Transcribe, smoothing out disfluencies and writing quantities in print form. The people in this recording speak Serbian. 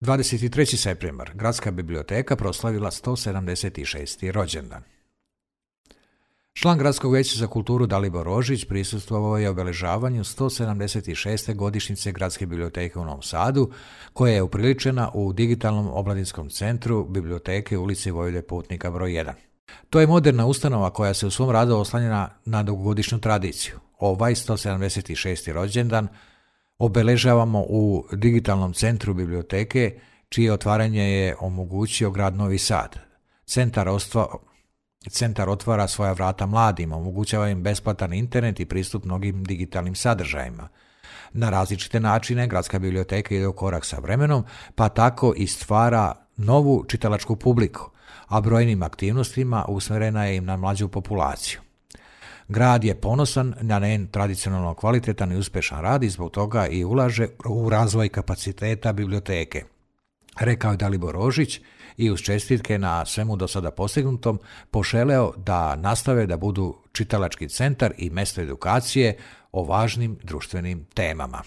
23. septembar. Gradska biblioteka proslavila 176. rođendan. Član Gradskog vijeća za kulturu Dalibor Rožić prisustvovao je obeležavanju 176. godišnjice Gradske biblioteke u Novom Sadu, koja je upriličena u digitalnom omladinskom centru biblioteke u ulici Vojvode Putnika broj 1. To je moderna ustanova koja se u svom radu oslanja na dugogodišnju tradiciju. Ovaj 176. rođendan obeležavamo u digitalnom centru biblioteke, čije otvaranje je omogućio grad Novi Sad. Centar otvara svoja vrata mladima, omogućava im besplatan internet i pristup mnogim digitalnim sadržajima. Na različite načine Gradska biblioteka ide u korak sa vremenom, pa tako i stvara novu čitalačku publiku, a brojnim aktivnostima usmjerena je im na mlađu populaciju. Grad je ponosan na njen tradicionalno kvalitetan i uspješan rad i zbog toga i ulaže u razvoj kapaciteta biblioteke, rekao je Dalibor Rožić i uz čestitke na svemu do sada postignutom poželeo da nastave da budu čitalački centar i mjesto edukacije o važnim društvenim temama.